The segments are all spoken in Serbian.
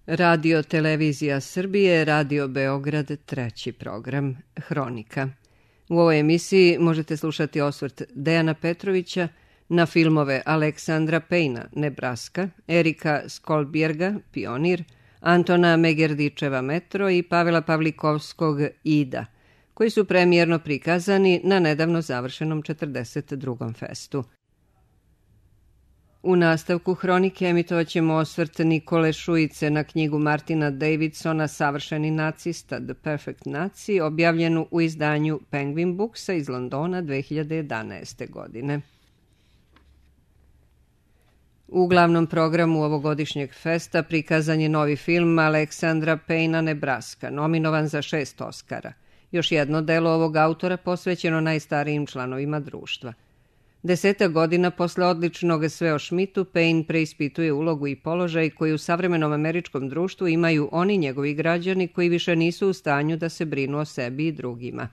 Radio Televizija Srbije, Radio Beograd, treći program, Hronika. U ovoj emisiji možete slušati osvrt Dejana Petrovića na filmove Aleksandra Pejna, Nebraska, Erika Skolbjerga, Pionir, Antona Megerdičeva, Metro i Pavela Pavlikovskog, Ida, koji su premijerno prikazani na nedavno završenom 42. festu. U nastavku Hronike emitovat ćemo osvrt Nikole Šujice na knjigu Martina Davidsona Savršeni nacista, The Perfect Nazi, objavljenu u izdanju Penguin Booksa iz Londona 2011. godine. U glavnom programu ovogodišnjeg festa prikazan je novi film Aleksandra Pejna, Nebraska, nominovan za 6 Oskara. Još jedno delo ovog autora posvećeno najstarijim članovima društva. 10 godina posle odličnog Sve o Šmitu, Pejn preispituje ulogu i položaj koji u savremenom američkom društvu imaju oni njegovi građani koji više nisu u stanju da se brinu o sebi i drugima.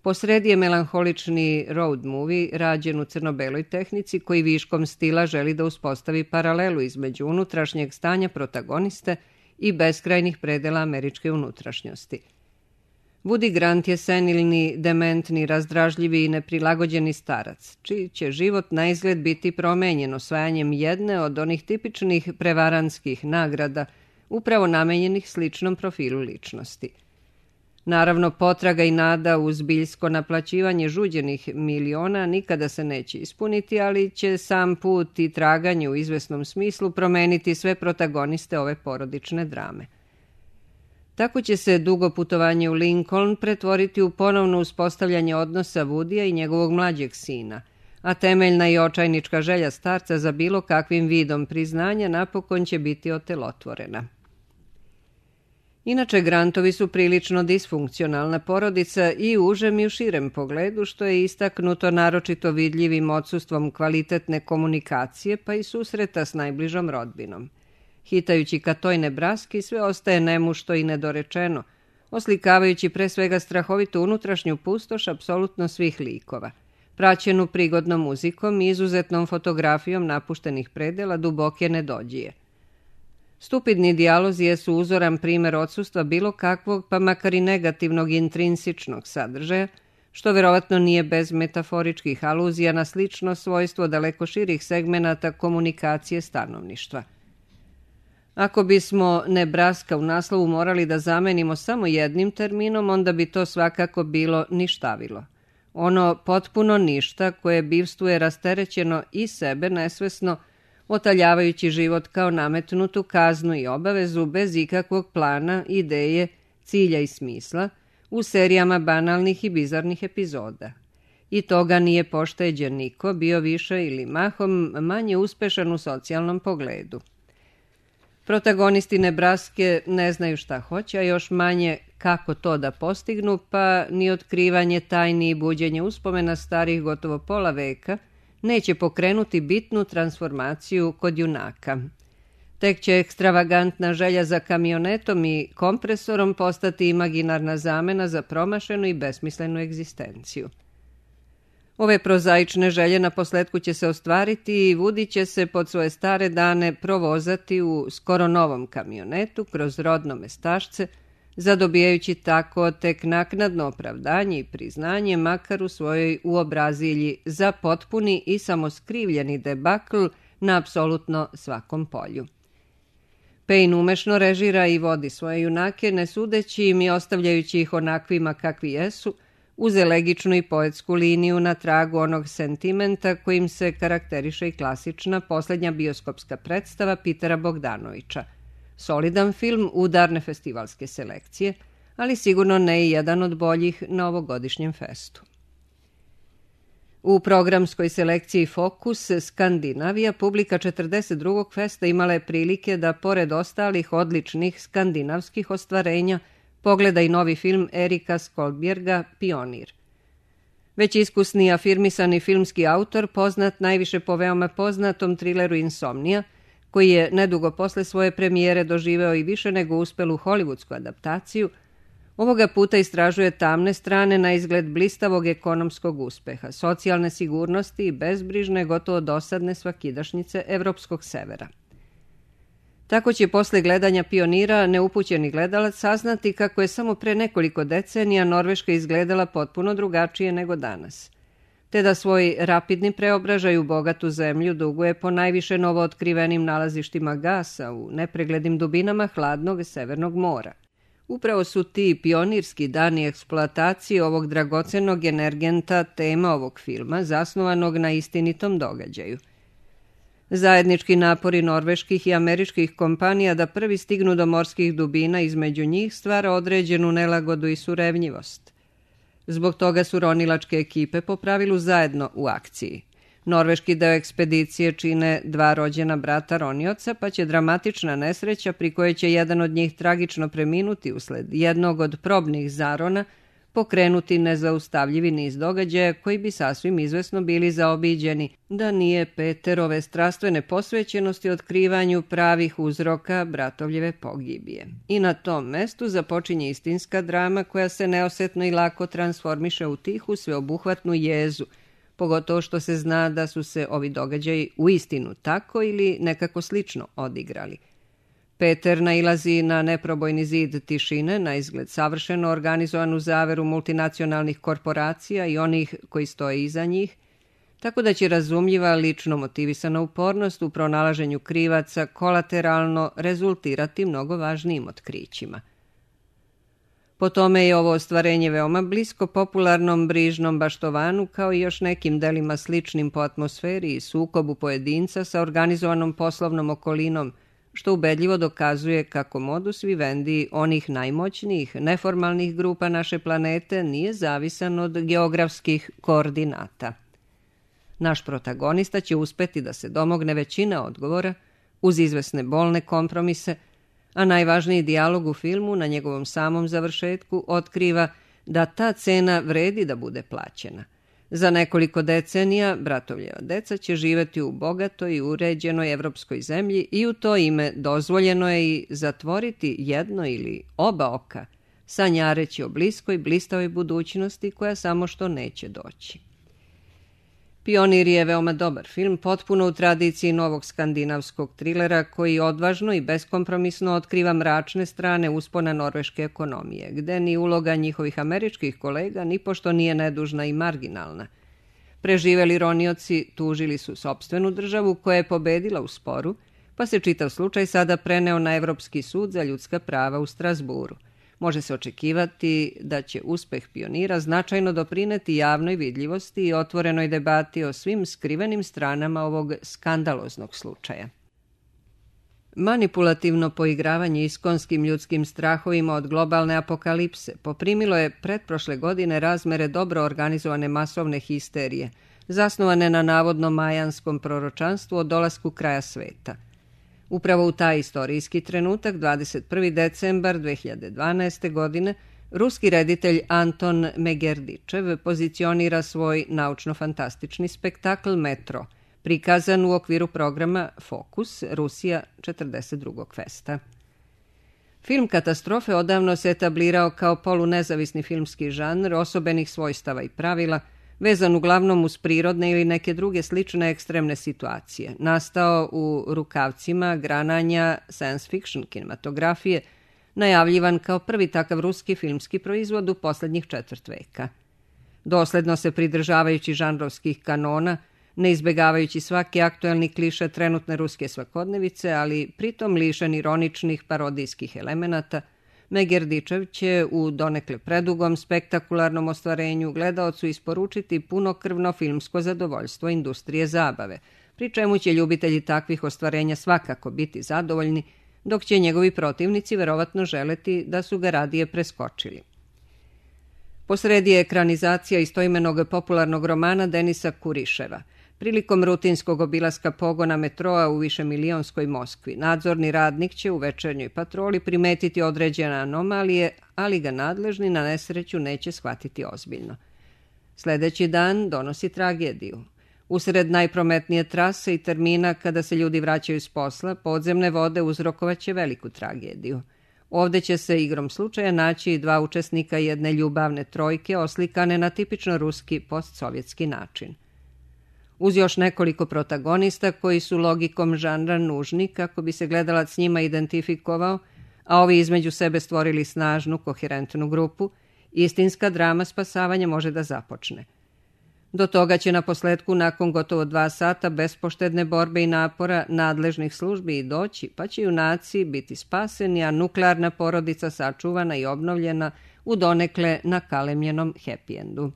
Posredi je melanholični road movie rađen u crno-beloj tehnici koji viškom stila želi da uspostavi paralelu između unutrašnjeg stanja protagoniste i beskrajnih predela američke unutrašnjosti. Woody Grant je senilni, dementni, razdražljivi i neprilagođeni starac, čiji će život na izgled biti promenjen osvajanjem jedne od onih tipičnih prevarantskih nagrada, upravo namenjenih sličnom profilu ličnosti. Naravno, potraga i nada uz biljsko naplaćivanje žuđenih miliona nikada se neće ispuniti, ali će sam put i traganje u izvesnom smislu promeniti sve protagoniste ove porodične drame. Tako će se dugo putovanje u Lincoln pretvoriti u ponovno uspostavljanje odnosa Woodya i njegovog mlađeg sina, a temeljna i očajnička želja starca za bilo kakvim vidom priznanja napokon će biti otelotvorena. Inače, Grantovi su prilično disfunkcionalna porodica i u užem i u širem pogledu, što je istaknuto naročito vidljivim odsustvom kvalitetne komunikacije pa i susreta s najbližom rodbinom. Hitajući ka toj Nebraski, sve ostaje nemušto i nedorečeno, oslikavajući pre svega strahovitu unutrašnju pustoš apsolutno svih likova, praćenu prigodnom muzikom i izuzetnom fotografijom napuštenih predela duboke nedođije. Stupidni dijalozi jesu uzoran primer odsustva bilo kakvog, pa makar i negativnog intrinsičnog sadržaja, što verovatno nije bez metaforičkih aluzija na slično svojstvo daleko širih segmenata komunikacije stanovništva. Ako bismo Nebraska u naslovu morali da zamenimo samo jednim terminom, onda bi to svakako bilo ništavilo. Ono potpuno ništa koje bivstvuje rasterećeno i sebe nesvesno, otaljavajući život kao nametnutu kaznu i obavezu bez ikakvog plana, ideje, cilja i smisla, u serijama banalnih i bizarnih epizoda. I toga nije pošteđen niko, bio više ili mahom manje uspešan u socijalnom pogledu. Protagonisti Nebraske ne znaju šta hoće, a još manje kako to da postignu, pa ni otkrivanje tajni i buđenje uspomena starih gotovo pola veka neće pokrenuti bitnu transformaciju kod junaka. Tek će ekstravagantna želja za kamionetom i kompresorom postati imaginarna zamena za promašenu i besmislenu egzistenciju. Ove prozaične želje na posletku će se ostvariti i Woody će se pod svoje stare dane provozati u skoro novom kamionetu kroz rodno mestašce, zadobijajući tako tek naknadno opravdanje i priznanje makar u svojoj uobrazilji za potpuni i samoskrivljeni debakl na apsolutno svakom polju. Pejn umešno režira i vodi svoje junake, ne sudeći im i ostavljajući ih onakvima kakvi jesu, uz elegičnu i poetsku liniju na tragu onog sentimenta kojim se karakteriše i klasična posljednja bioskopska predstava Pitera Bogdanovića. Solidan film udarne festivalske selekcije, ali sigurno ne i jedan od boljih na ovogodišnjem festu. U programskoj selekciji Fokus Skandinavija publika 42. festa imala je prilike da, pored ostalih odličnih skandinavskih ostvarenja, pogleda i novi film Erika Skolbjerga Pionir. Već iskusni afirmisani filmski autor, poznat najviše po veoma poznatom trileru Insomnija, koji je nedugo posle svoje premijere doživeo i više nego uspelu hollywoodsku adaptaciju, ovoga puta istražuje tamne strane na izgled blistavog ekonomskog uspeha, socijalne sigurnosti i bezbrižne, gotovo dosadne svakidašnjice evropskog severa. Tako će posle gledanja Pionira neupućeni gledalac saznati kako je samo pre nekoliko decenija Norveška izgledala potpuno drugačije nego danas, te da svoj rapidni preobražaj u bogatu zemlju duguje po najviše novootkrivenim nalazištima gasa u nepreglednim dubinama hladnog Severnog mora. Upravo su ti pionirski dani eksploatacije ovog dragocenog energenta tema ovog filma, zasnovanog na istinitom događaju. Zajednički napori norveških i američkih kompanija da prvi stignu do morskih dubina između njih stvara određenu nelagodu i surevnjivost. Zbog toga su ronilačke ekipe po pravilu zajedno u akciji. Norveški deo ekspedicije čine 2 rođena brata ronioca, pa će dramatična nesreća pri kojoj će jedan od njih tragično preminuti usled jednog od probnih zarona pokrenuti nezaustavljivi niz događaja koji bi sasvim izvesno bili zaobiđeni da nije Peterove strastvene posvećenosti otkrivanju pravih uzroka bratovljeve pogibije. I na tom mestu započinje istinska drama koja se neosetno i lako transformiše u tihu sveobuhvatnu jezu, pogotovo što se zna da su se ovi događaji uistinu tako ili nekako slično odigrali. Peter nailazi na neprobojni zid tišine, na izgled savršeno organizovanu zaveru multinacionalnih korporacija i onih koji stoje iza njih, tako da će razumljiva lično motivisana upornost u pronalaženju krivaca kolateralno rezultirati mnogo važnijim otkrićima. Po tome je ovo ostvarenje veoma blisko popularnom Brižnom baštovanu kao i još nekim delima sličnim po atmosferi i sukobu pojedinca sa organizovanom poslovnom okolinom, što ubedljivo dokazuje kako modus vivendi onih najmoćnijih neformalnih grupa naše planete nije zavisan od geografskih koordinata. Naš protagonista će uspeti da se domogne većine odgovora uz izvesne bolne kompromise, a najvažniji dijalog u filmu na njegovom samom završetku otkriva da ta cena vredi da bude plaćena. Za nekoliko decenija bratovljeva deca će živjeti u bogatoj i uređenoj evropskoj zemlji i u to ime dozvoljeno je i zatvoriti jedno ili oba oka, sanjareći o bliskoj, blistavoj budućnosti koja samo što neće doći. Pionir je veoma dobar film, potpuno u tradiciji novog skandinavskog trilera koji odvažno i beskompromisno otkriva mračne strane uspona norveške ekonomije, gde ni uloga njihovih američkih kolega nipošto nije nedužna i marginalna. Preživeli ronioci tužili su sopstvenu državu koja je pobedila u sporu, pa se čitav slučaj sada preneo na Evropski sud za ljudska prava u Strasburu. Može se očekivati da će uspeh Pionira značajno doprineti javnoj vidljivosti i otvorenoj debati o svim skrivenim stranama ovog skandaloznog slučaja. Manipulativno poigravanje iskonskim ljudskim strahovima od globalne apokalipse poprimilo je pretprošle godine razmere dobro organizovane masovne histerije, zasnovane na navodno majanskom proročanstvu o dolasku kraja sveta. Upravo u taj istorijski trenutak, 21. decembar 2012. godine, ruski reditelj Anton Megerdičev pozicionira svoj naučno-fantastični spektakl Metro, prikazan u okviru programa Fokus, Rusija 42. festa. Film katastrofe odavno se etablirao kao polunezavisni filmski žanr osobenih svojstava i pravila, vezan uglavnom uz prirodne ili neke druge slične ekstremne situacije, nastao u rukavcima grananja science fiction kinematografije, najavljivan kao prvi takav ruski filmski proizvod u poslednjih 4 veka. Dosledno se pridržavajući žanrovskih kanona, ne izbegavajući svaki aktuelni kliše trenutne ruske svakodnevice, ali pritom lišen ironičnih parodijskih elemenata, Megerdičev će u donekle predugom spektakularnom ostvarenju gledaocu isporučiti punokrvno filmsko zadovoljstvo industrije zabave, pri čemu će ljubitelji takvih ostvarenja svakako biti zadovoljni, dok će njegovi protivnici verovatno želeti da su ga radije preskočili. Posredi je ekranizacija istoimenog popularnog romana Denisa Kuriševa. Prilikom rutinskog obilaska pogona metroa u višemilionskoj Moskvi, nadzorni radnik će u večernjoj patroli primetiti određene anomalije, ali ga nadležni na nesreću neće shvatiti ozbiljno. Sledeći dan donosi tragediju. Usred najprometnije trase i termina kada se ljudi vraćaju s posla, podzemne vode uzrokovaće veliku tragediju. Ovde će se igrom slučaja naći i 2 učesnika jedne ljubavne trojke oslikane na tipično ruski postsovjetski način. uz još nekoliko protagonista koji su logikom žanra nužni kako bi se gledalac s njima identifikovao, a ovi između sebe stvorili snažnu, koherentnu grupu, istinska drama spasavanja može da započne. Do toga će na posledku nakon gotovo 2 sata bespoštedne borbe i napora nadležnih službi i doći, pa će junaci biti spaseni, a nuklearna porodica sačuvana i obnovljena u donekle nakalemljenom happy endu.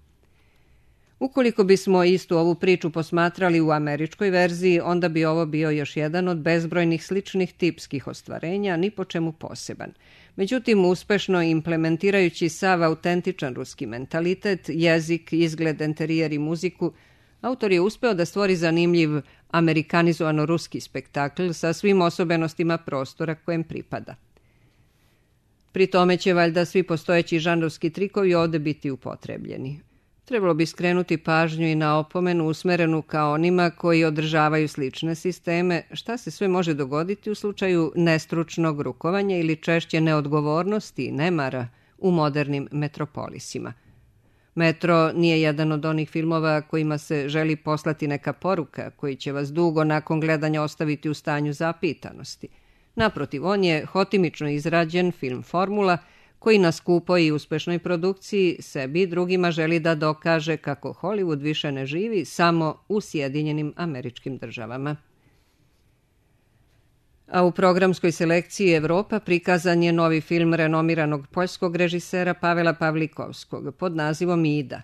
Ukoliko bismo istu ovu priču posmatrali u američkoj verziji, onda bi ovo bio još jedan od bezbrojnih sličnih tipskih ostvarenja, ni po čemu poseban. Međutim, uspešno implementirajući sav autentičan ruski mentalitet, jezik, izgled, enterijer i muziku, autor je uspeo da stvori zanimljiv amerikanizovano ruski spektakl sa svim osobenostima prostora kojem pripada. Pri tome će valjda svi postojeći žanrovski trikovi ovde biti upotrebljeni. Trebalo bi skrenuti pažnju i na opomenu usmerenu ka onima koji održavaju slične sisteme, šta se sve može dogoditi u slučaju nestručnog rukovanja ili češće neodgovornosti i nemara u modernim metropolisima. Metro nije jedan od onih filmova kojima se želi poslati neka poruka koji će vas dugo nakon gledanja ostaviti u stanju zapitanosti. Naprotiv, on je hotimično izrađen film formula koji na skupoj i uspešnoj produkciji sebi i drugima želi da dokaže kako Hollywood više ne živi samo u Sjedinjenim Američkim Državama. A u programskoj selekciji Evropa prikazan je novi film renomiranog poljskog režisera Pavela Pavlikovskog pod nazivom Ida.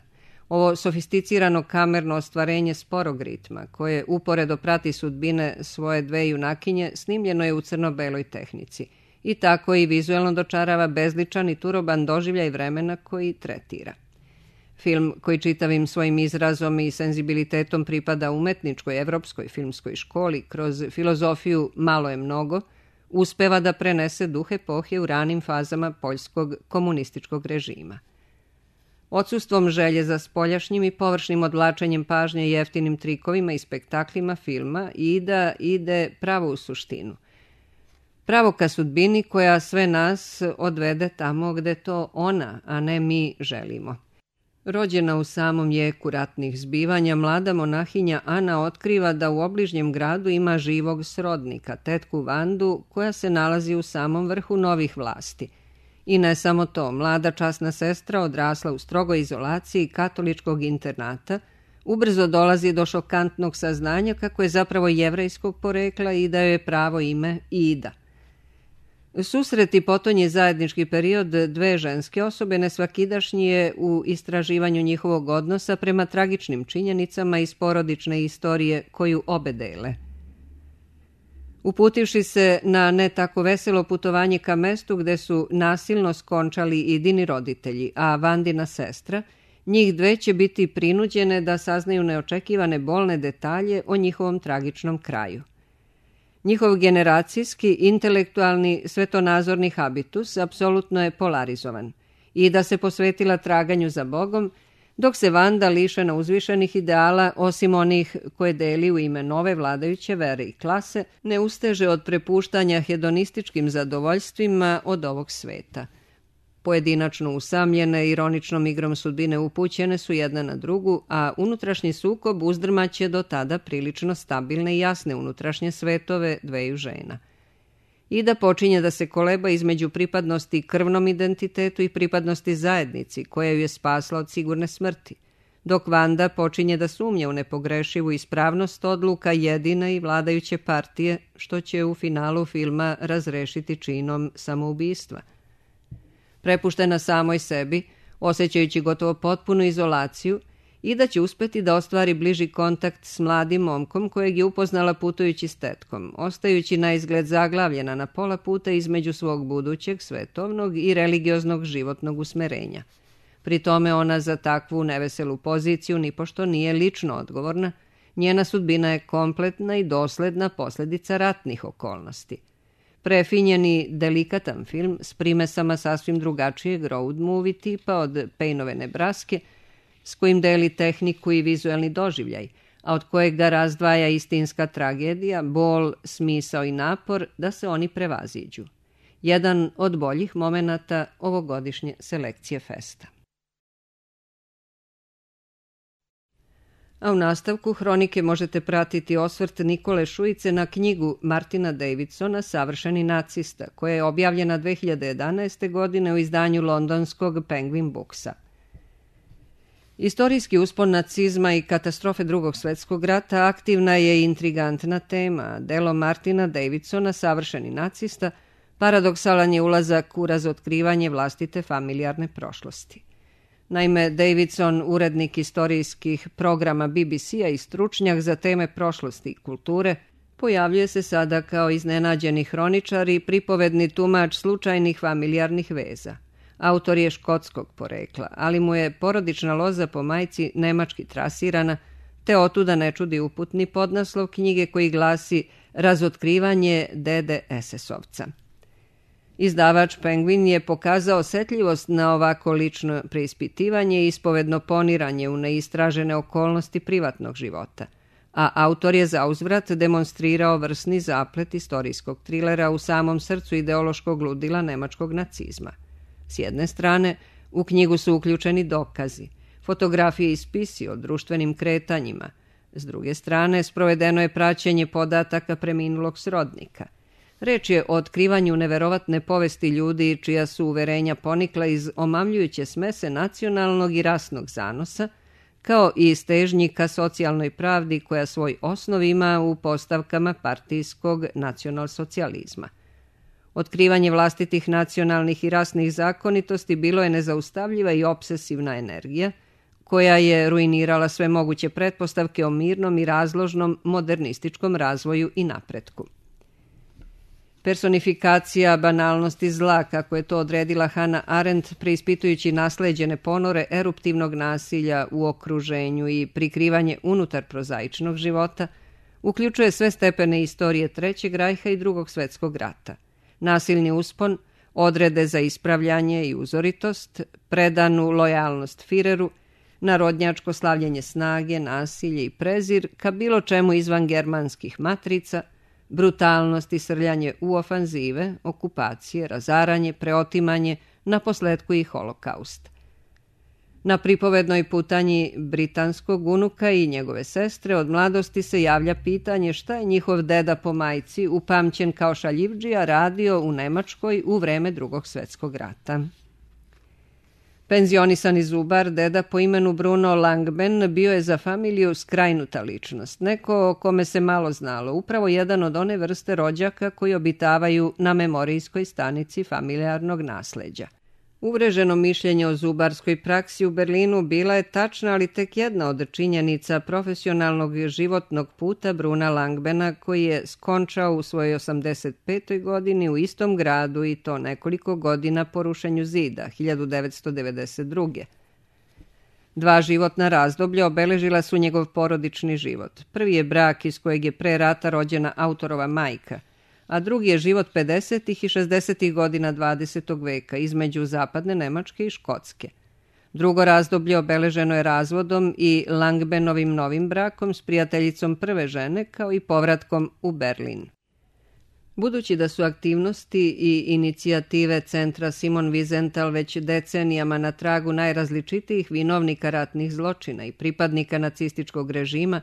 Ovo sofisticirano kamerno ostvarenje sporog ritma, koje uporedo prati sudbine svoje 2 junakinje, snimljeno je u crno-beloj tehnici i tako i vizuelno dočarava bezličan i turoban doživljaj vremena koji tretira. Film koji čitavim svojim izrazom i senzibilitetom pripada umetničkoj evropskoj filmskoj školi kroz filozofiju malo je mnogo, uspeva da prenese duh epohe u ranim fazama poljskog komunističkog režima. Odsustvom želje za spoljašnjim i površnim odvlačenjem pažnje i jeftinim trikovima i spektaklima filma Ida ide pravo u suštinu. Pravo ka sudbini koja sve nas odvede tamo gde to ona, a ne mi želimo. Rođena u samom jeku ratnih zbivanja, mlada monahinja Ana otkriva da u obližnjem gradu ima živog srodnika, tetku Vandu, koja se nalazi u samom vrhu novih vlasti. I ne samo to, mlada časna sestra odrasla u strogoj izolaciji katoličkog internata, ubrzo dolazi do šokantnog saznanja kako je zapravo jevrejskog porekla i da joj je pravo ime Ida. Susret i potonji zajednički period 2 ženske osobe nesvakidašnji je u istraživanju njihovog odnosa prema tragičnim činjenicama iz porodične istorije koju obe dele. Uputivši se na ne tako veselo putovanje ka mestu gde su nasilno skončali Idini roditelji, a Vandina sestra, njih 2 će biti prinuđene da saznaju neočekivane bolne detalje o njihovom tragičnom kraju. Njihov generacijski, intelektualni, svetonazorni habitus apsolutno je polarizovan i da se posvetila traganju za Bogom, dok se Vanda lišena uzvišenih ideala, osim onih koje deli u ime nove vladajuće vere i klase, ne usteže od prepuštanja hedonističkim zadovoljstvima od ovog sveta. Pojedinačno usamljene, ironičnom igrom sudbine upućene su jedna na drugu, a unutrašnji sukob uzdrmaće do tada prilično stabilne i jasne unutrašnje svetove 2 žena. Ida počinje da se koleba između pripadnosti krvnom identitetu i pripadnosti zajednici, koja ju je spasla od sigurne smrti, dok Vanda počinje da sumnja u nepogrešivu ispravnost odluka jedine i vladajuće partije, što će u finalu filma razrešiti činom samoubistva. Prepuštena samoj sebi, osjećajući gotovo potpunu izolaciju, Ida će uspeti da ostvari bliži kontakt s mladim momkom kojeg je upoznala putujući s tetkom, ostajući na izgled zaglavljena na pola puta između svog budućeg svetovnog i religioznog životnog usmerenja. Pri tome ona za takvu neveselu poziciju nipošto nije lično odgovorna, njena sudbina je kompletna i dosledna posljedica ratnih okolnosti. Prefinjeni, delikatan film s primesama sasvim drugačijeg road movie tipa od Payneove Nebraske, s kojim deli tehniku i vizuelni doživljaj, a od kojeg ga razdvaja istinska tragedija, bol, smisao i napor da se oni prevaziđu. Jedan od boljih momenata ovogodišnje selekcije festa. A u nastavku hronike možete pratiti osvrt Nikole Šujice na knjigu Martina Davidsona Savršeni nacista, koja je objavljena 2011. godine u izdanju londonskog Penguin Booksa. Istorijski uspon nacizma i katastrofe Drugog svjetskog rata aktivna je i intrigantna tema. Delo Martina Davidsona Savršeni nacista paradoksalan je ulazak u razotkrivanje vlastite familijarne prošlosti. Naime, Davidson, urednik istorijskih programa BBC-a i stručnjak za teme prošlosti i kulture, pojavljuje se sada kao iznenađeni hroničar i pripovedni tumač slučajnih familijarnih veza. Autor je škotskog porekla, ali mu je porodična loza po majci nemački trasirana, te otuda ne čudi uputni podnaslov knjige koji glasi Razotkrivanje dede SS-ovca. Izdavač Penguin je pokazao osetljivost na ovako lično preispitivanje i ispovedno poniranje u neistražene okolnosti privatnog života, a autor je zauzvrat demonstrirao vrsni zaplet istorijskog trilera u samom srcu ideološkog ludila nemačkog nacizma. S jedne strane, u knjigu su uključeni dokazi, fotografije i spisi o društvenim kretanjima. S druge strane, sprovedeno je praćenje podataka preminulog srodnika. Reč je o otkrivanju neverovatne povesti ljudi čija su uverenja ponikla iz omamljujuće smese nacionalnog i rasnog zanosa, kao i stežnji ka socijalnoj pravdi koja svoj osnov ima u postavkama partijskog nacionalsocijalizma. Otkrivanje vlastitih nacionalnih i rasnih zakonitosti bilo je nezaustavljiva i obsesivna energija, koja je ruinirala sve moguće pretpostavke o mirnom i razložnom modernističkom razvoju i napretku. Personifikacija banalnosti zla, kako je to odredila Hannah Arendt, preispitujući nasleđene ponore eruptivnog nasilja u okruženju i prikrivanje unutar prozaičnog života, uključuje sve stepene istorije Trećeg rajha i Drugog svjetskog rata. Nasilni uspon, odrede za ispravljanje i uzoritost, predanu lojalnost Fireru, narodnjačko slavljenje snage, nasilje i prezir ka bilo čemu izvan germanskih matrica, brutalnost i srljanje u ofanzive, okupacije, razaranje, preotimanje, naposletku i holokaust. Na pripovednoj putanji britanskog unuka i njegove sestre od mladosti se javlja pitanje šta je njihov deda po majci, upamćen kao šaljivdžija, radio u Nemačkoj u vreme Drugog svjetskog rata. Penzionisani zubar, deda po imenu Bruno Langben, bio je za familiju skrajnuta ličnost, neko o kome se malo znalo, upravo jedan od one vrste rođaka koji obitavaju na memorijskoj stanici familijarnog nasleđa. Uvreženo mišljenje o zubarskoj praksi u Berlinu bila je tačna, ali tek jedna od činjenica profesionalnog životnog puta Bruna Langbena, koji je skončao u svojoj 85. godini u istom gradu i to nekoliko godina po rušenju zida, 1992. Dva životna razdoblja obeležila su njegov porodični život. Prvi je brak iz kojeg je pre rata rođena autorova majka, a drugi je život 50. i 60. godina 20. veka između zapadne Nemačke i Škotske. Drugo razdoblje obeleženo je razvodom i Langbenovim novim brakom s prijateljicom prve žene, kao i povratkom u Berlin. Budući da su aktivnosti i inicijative centra Simon Wiesenthal već decenijama na tragu najrazličitijih vinovnika ratnih zločina i pripadnika nacističkog režima,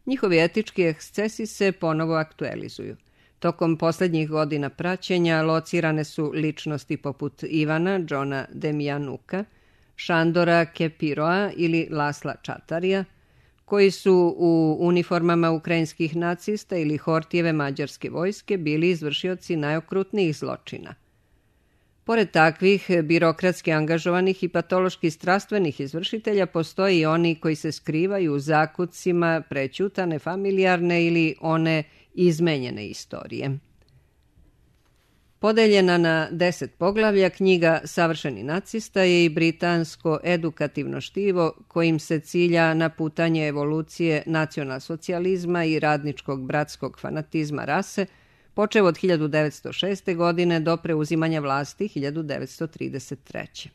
njihovi etički ekscesi se ponovo aktualizuju. Tokom posljednjih godina praćenja locirane su ličnosti poput Ivana Johna Demjanuka, Šandora Kepiroa ili Lasla Čatarija, koji su u uniformama ukrajinskih nacista ili Hortijeve mađarske vojske bili izvršioci najokrutnijih zločina. Pored takvih birokratski angažovanih i patološki strastvenih izvršitelja postoje i oni koji se skrivaju u zakucima prećutane familijarne ili one izmenjene istorije. Podeljena na 10 poglavlja, knjiga Savršeni nacista je i britansko edukativno štivo kojim se cilja na putanje evolucije nacionalsocijalizma i radničkog bratskog fanatizma rase, počev od 1906. godine do preuzimanja vlasti 1933.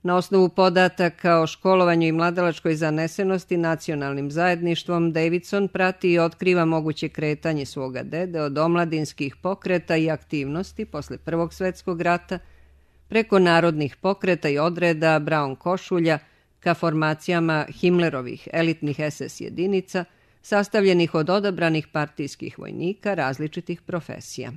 Na osnovu podataka o školovanju i mladalačkoj zanesenosti nacionalnim zajedništvom, Davidson prati i otkriva moguće kretanje svoga dede od omladinskih pokreta i aktivnosti posle Prvog svjetskog rata, preko narodnih pokreta i odreda, Brown košulja, ka formacijama Himmlerovih elitnih SS jedinica, sastavljenih od odabranih partijskih vojnika različitih profesija.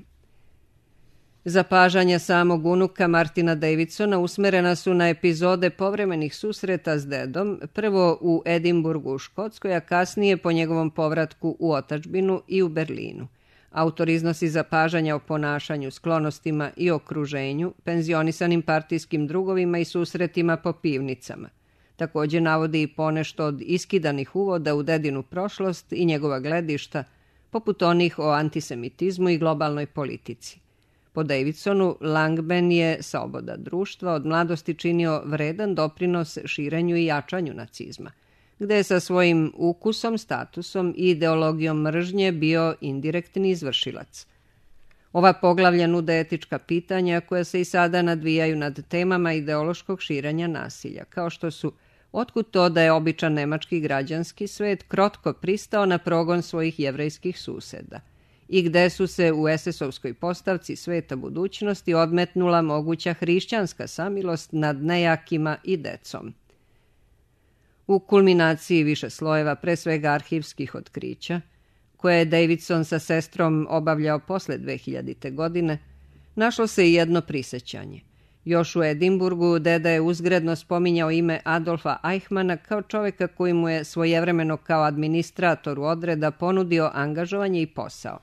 Zapažanja samog unuka Martina Davidsona usmerena su na epizode povremenih susreta s dedom, prvo u Edinburgu u Škotskoj, a kasnije po njegovom povratku u otadžbinu i u Berlinu. Autor iznosi zapažanja o ponašanju, sklonostima i okruženju, penzionisanim partijskim drugovima i susretima po pivnicama. Također navodi i ponešto od iskidanih uvoda u dedinu prošlost i njegova gledišta, poput onih o antisemitizmu i globalnoj politici. Po Davidsonu, Langben je sloboda društva od mladosti činio vredan doprinos širenju i jačanju nacizma, gde je sa svojim ukusom, statusom i ideologijom mržnje bio indirektni izvršilac. Ova poglavlja nude etička pitanja koja se i sada nadvijaju nad temama ideološkog širenja nasilja, kao što su otkud to da je običan nemački građanski svet krotko pristao na progon svojih jevrejskih suseda i gde su se u SS-ovskoj postavci sveta budućnosti odmetnula moguća hrišćanska samilost nad nejakima i decom. U kulminaciji više slojeva, pre svega arhivskih otkrića, koje je Davidson sa sestrom obavljao posle 2000. godine, našlo se i jedno prisećanje. Još u Edinburgu deda je uzgredno spominjao ime Adolfa Eichmana kao čoveka koji mu je svojevremeno kao administratoru odreda ponudio angažovanje i posao.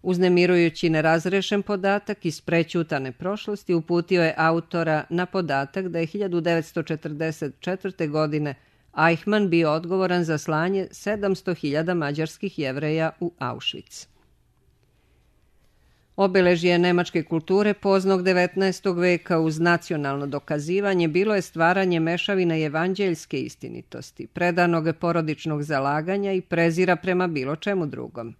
Uznemirujući nerazrešen podatak iz prećutane prošlosti uputio je autora na podatak da je 1944. godine Eichmann bio odgovoran za slanje 700.000 mađarskih Jevreja u Auschwitz. Obeležje nemačke kulture poznog 19. veka uz nacionalno dokazivanje bilo je stvaranje mešavine evanđeljske istinitosti, predanog porodičnog zalaganja i prezira prema bilo čemu drugom.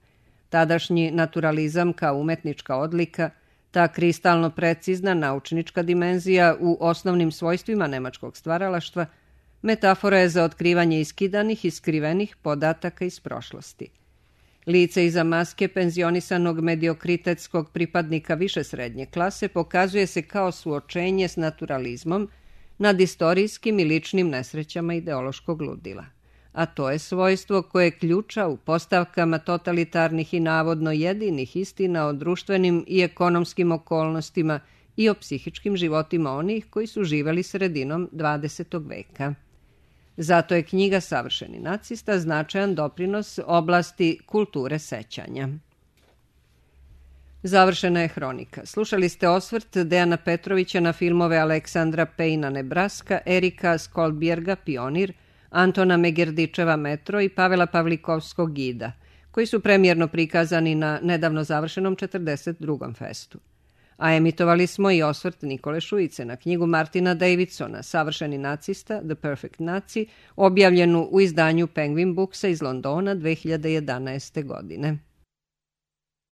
Tadašnji naturalizam kao umetnička odlika, ta kristalno precizna naučnička dimenzija u osnovnim svojstvima nemačkog stvaralaštva, metafora je za otkrivanje iskidanih i skrivenih podataka iz prošlosti. Lice iza maske penzionisanog mediokritetskog pripadnika više srednje klase pokazuje se kao suočenje s naturalizmom nad istorijskim i ličnim nesrećama ideološkog ludila. A to je svojstvo koje ključa u postavkama totalitarnih i navodno jedinih istina o društvenim i ekonomskim okolnostima i o psihičkim životima onih koji su živeli sredinom 20. veka. Zato je knjiga Savršeni nacista značajan doprinos oblasti kulture sećanja. Završena je hronika. Slušali ste osvrt Dejana Petrovića na filmove Aleksandra Pejna Nebraska, Erika Skolbjerga Pionir, Antona Megerdičeva Metro i Pavela Pavlikovskog Gida, koji su premijerno prikazani na nedavno završenom 42. festu. A emitovali smo i osvrt Nikole Šujice na knjigu Martina Davidsona Savršeni nacista, The Perfect Nazi, objavljenu u izdanju Penguin Booksa iz Londona 2011. godine.